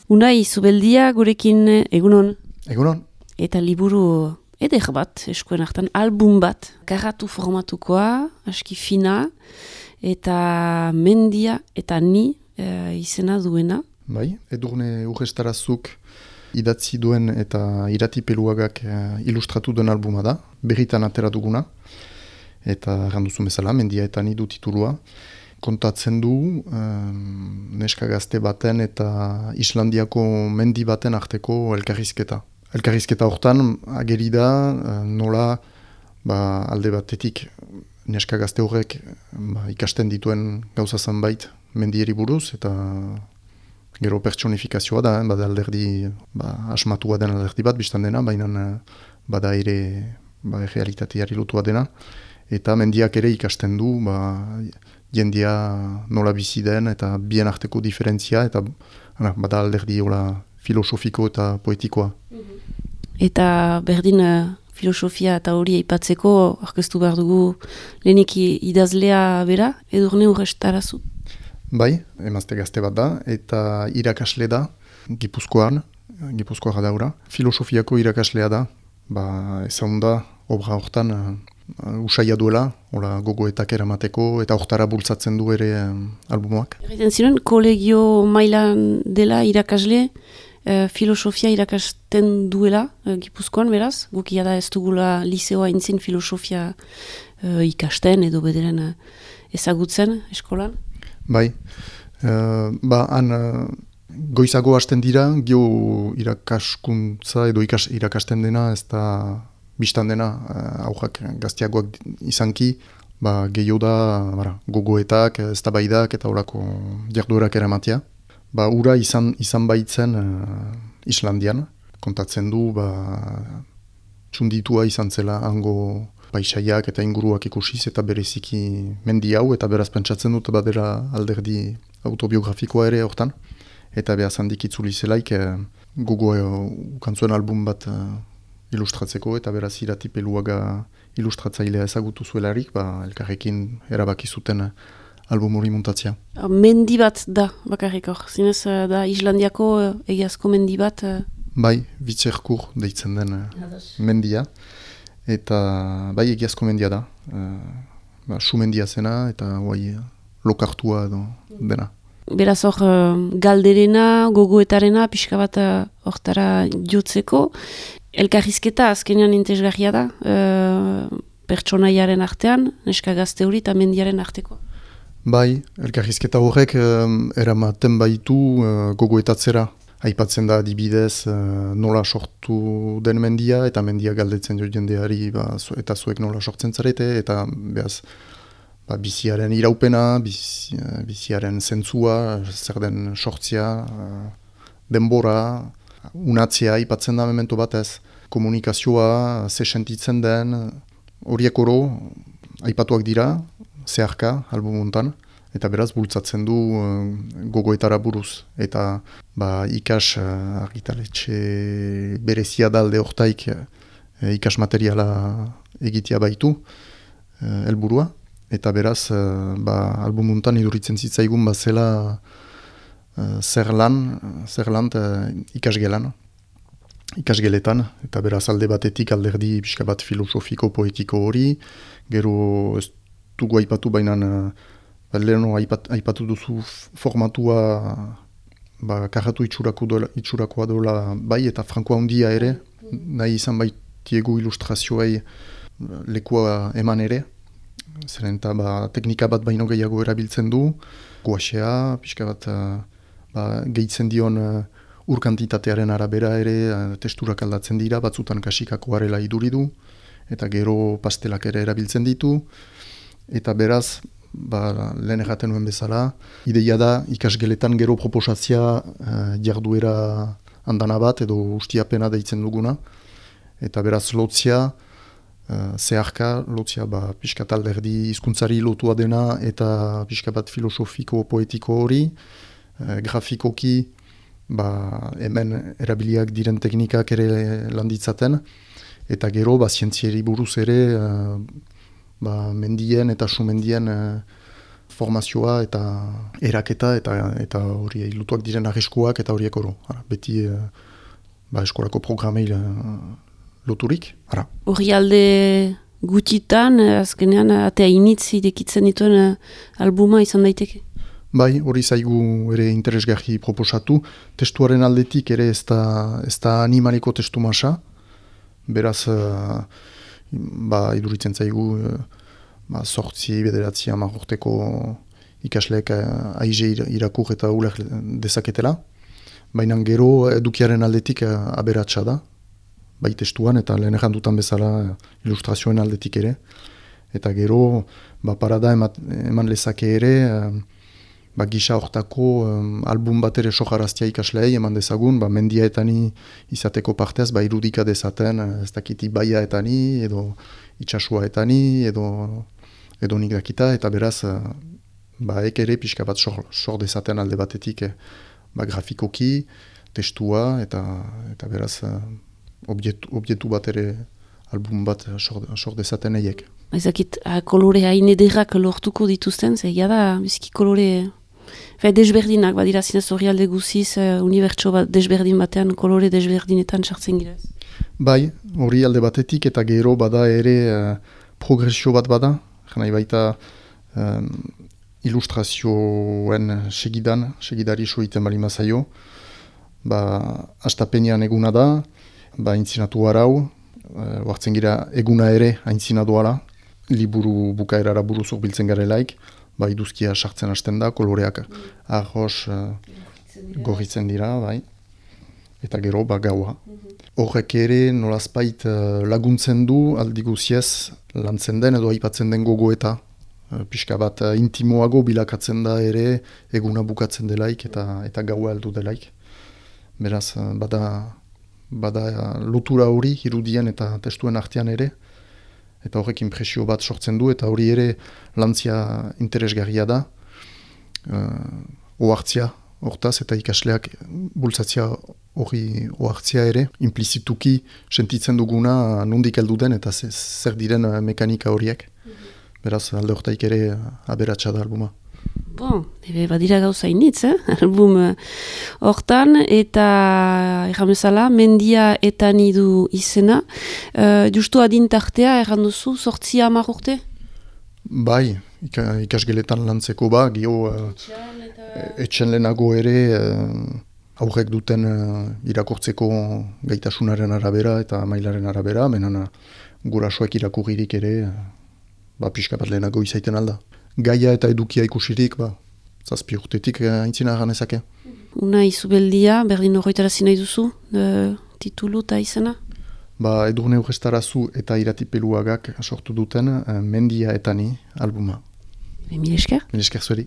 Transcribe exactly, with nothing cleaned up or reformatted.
Unai, Zubeldia gurekin egunon. Egunon. Eta liburu eder bat, eskuen hartan, album bat, karratu formatukoa, aski fina, eta mendia eta ni e, izena duena. Bai, Edurne Urrestarazuk idatzi duen eta iratipeluagak e, ilustratu duen albuma da, berritan atera duguna, eta randuzu bezala, mendia eta ni du titulua. Kontatzen du um, neska gazte baten eta Islandiako mendi baten arteko elkarrizketa. Elkarrizketa hortan ageri da nola ba, alde batetik neska gazte horrek ba, ikasten dituen gauza zanbait mendieri buruz eta gero pertsonifikazioa da, eh, bada alderdi ba, asmatua den alderdi bat biztan dena, baina bada ere ba, realitateari lotua dena eta mendiak ere ikasten du ba, jendia nola bizi den eta bien arteko diferentzia eta ana, bada alderdi hola filosofiko eta poetikoa. Eta berdin uh, filosofia eta hori aipatzeko aurkeztu behar dugu lehenik idazlea bera, Edurne Urrestarazu. Bai, emazte gazte bat da eta irakasle da Gipuzkoan, Gipuzkoa daura. Filosofiako irakaslea da, ba, ezagun da obra hortan uh, usaia duela, hola gogoetak eramateko eta hortara bultzatzen du ere um, albumoak. Erraiten ziren, kolegio mailan dela irakasle, Uh, filosofia irakasten duela, uh, Gipuzkoan beraz, gukia da ez dugula liseoa intzin filosofia uh, ikasten edo bederen uh, ezagutzen eskolan? Bai, uh, ba han uh, goizago hasten dira, gio irakaskuntza edo ikas, irakasten dena, ez da biztan dena, uh, aujak gaztiagoak izanki, ba, gehiago da bara, gogoetak, eztabaidak eta horako jarduerak eramatia. Ba, ura izan, izan baitzen uh, Islandian, kontatzen du, ba, txunditua izan zela hango paisaiak eta inguruak ikusiz eta bereziki mendi hau, eta beraz pentsatzen dut badera alderdi autobiografikoa ere hortan. Eta behaz handik itzuli zelaik eh, gogo uh, ukantzuen album bat uh, ilustratzeko, eta beraz iratipeluaga ilustratzailea ezagutu zuelarik, ba, elkarrekin erabaki zuten uh, album hori muntatzea. Mendi bat da, bakarrik hor. Zinez da Islandiako egiazko mendi bat? Bai, Vitzerkur deitzen den mendia. Eta bai, egiazko mendia da. Uh, ba, su mendia zena eta guai lokartua edo dena. Beraz hor, galderena, gogoetarena, pixka bat hortara jotzeko. Elkarrizketa azkenean intezgarria da, uh, pertsonaiaren artean, neska gazte hori eta mendiaren arteko. Bai, elkarrizketa horrek um, eramaten baitu uh, gogoetatzera. Aipatzen da adibidez uh, nola sortu den mendia eta mendia galdetzen jo jendeari ba, eta zuek nola sortzen zarete eta behaz ba, biziaren iraupena, bizi, uh, biziaren zentzua, zer den sortzia, uh, denbora, unatzea aipatzen da memento batez. Komunikazioa, ze sentitzen den, horiek oro aipatuak dira, zeharka, albumuntan, eta beraz bultzatzen du uh, gogoetara buruz. Eta ba, ikas uh, argitaletxe berezia dalde hortaik uh, ikas materiala egitea baitu, uh, helburua. Eta beraz, uh, ba, albumuntan iduritzen zitzaigun bazela uh, zer lan, zer lan uh, ikasgelan. Ikasgeletan, eta beraz alde batetik alderdi pixka bat filosofiko poetiko hori, gero ez dugu aipatu bainan, uh, leheno aipat, aipatu duzu formatua ba, karratu itxurakoa dola bai, eta frankoa handia ere, nahi izan baitiegu ilustrazioei lekua eman ere, zeren eta ba, teknika bat baino gehiago erabiltzen du, guaxea, pixka bat uh, ba, gehitzen dion uh, urkantitatearen arabera ere uh, testurak aldatzen dira, batzutan kasikakoa arela iduri du, eta gero pastelak ere erabiltzen ditu, eta beraz, ba, lehen erraten nuen bezala, ideia da ikasgeletan gero proposatzia uh, jarduera andana bat edo ustiapena deitzen duguna, eta beraz lotzia, uh, zeharka, lotzia ba, pixka talderdi hizkuntzari lotua dena eta pixka bat filosofiko poetiko hori, uh, grafikoki ba, hemen erabiliak diren teknikak ere landitzaten, eta gero ba, zientzieri buruz ere uh, ba, mendien eta sumendien uh, formazioa eta eraketa eta eta hori lutuak diren arriskuak eta horiek oro. Ara, beti uh, ba, eskolako programei loturik. Hori alde gutitan, azkenean, atea initzi dekitzen dituen uh, albuma izan daiteke? Bai, hori zaigu ere interesgarri proposatu. Testuaren aldetik ere ez da, ez da animaliko testu masa. Beraz, uh, ba, iduritzen zaigu uh, ba, sortzi, bederatzi, hamar urteko ikasleek uh, aize irakur eta uler dezaketela. Baina gero edukiaren aldetik uh, aberatsa da. Bai testuan eta lehen errandutan bezala ilustrazioen aldetik ere. Eta gero, ba, parada emat, eman lezake ere, uh, ba, gisa hortako um, album bat ere sojaraztia ikaslei eman dezagun, ba, mendiaetani izateko partez, ba, irudika dezaten, ez dakiti baiaetani, edo itxasuaetani, edo, edo nik dakita, eta beraz, uh, ba, ek ere pixka bat sor, sor dezaten alde batetik, eh, ba, grafikoki, testua, eta, eta beraz, uh, objektu, objektu bat ere album bat sor, sor dezaten eiek. Ezakit, kolore hain ederrak lortuko dituzten, zegia da, biziki kolore... Fe, desberdinak, badira zinez hori alde guziz, uh, unibertso bat desberdin batean, kolore desberdinetan sartzen girez. Bai, hori alde batetik eta gero bada ere uh, progresio bat bada, janai baita um, ilustrazioen segidan, segidari soiten bali mazaio, ba, astapenean eguna da, ba, intzinatu arau, uh, hartzen gira eguna ere aintzinaduala, liburu bukaerara buruzuk biltzen garelaik, ba, iduzkia sartzen hasten da, koloreak arroz uh, gorritzen dira, bai. Eta gero, ba, gaua. Horrek ere nolazpait uh, laguntzen du, aldi guziez lantzen den edo aipatzen den gogoeta. Uh, pixka bat uh, intimoago bilakatzen da ere, eguna bukatzen delaik eta eta gaua heldu delaik. Beraz, uh, bada, bada uh, lotura hori, irudien eta testuen artean ere, eta horrek impresio bat sortzen du, eta hori ere lantzia interesgarria da, uh, ohartzia, hortaz, eta ikasleak bultzatzia hori ohartzia ere, implizituki sentitzen duguna nondik heldu den, eta zer diren mekanika horiek. Beraz, alde hortaik ere aberatsa da albuma. Bon, ebe badira gauza initz, eh? Album hortan, eta erramezala, mendia eta nidu izena. Uh, justu adintartea, erranduzu, sortzi hamar urte? Bai, ikasgeletan lantzeko ba, gio uh, etxen lehenago ere uh, aurrek duten uh, irakurtzeko gaitasunaren arabera eta mailaren arabera, menan uh, gurasoek irakurririk ere, uh, ba, pixka bat lehenago izaiten alda. Gaia eta edukia ikusirik, ba, zazpi urtetik aintzina ganezake. Una izubeldia, berdin horretarazi nahi duzu, uh, titulu eta izena? Ba, Edurne Urrestarazu eta Iratipeluagak sortu duten uh, Mendia eta Ni albuma. Mil esker? Mil esker zueri.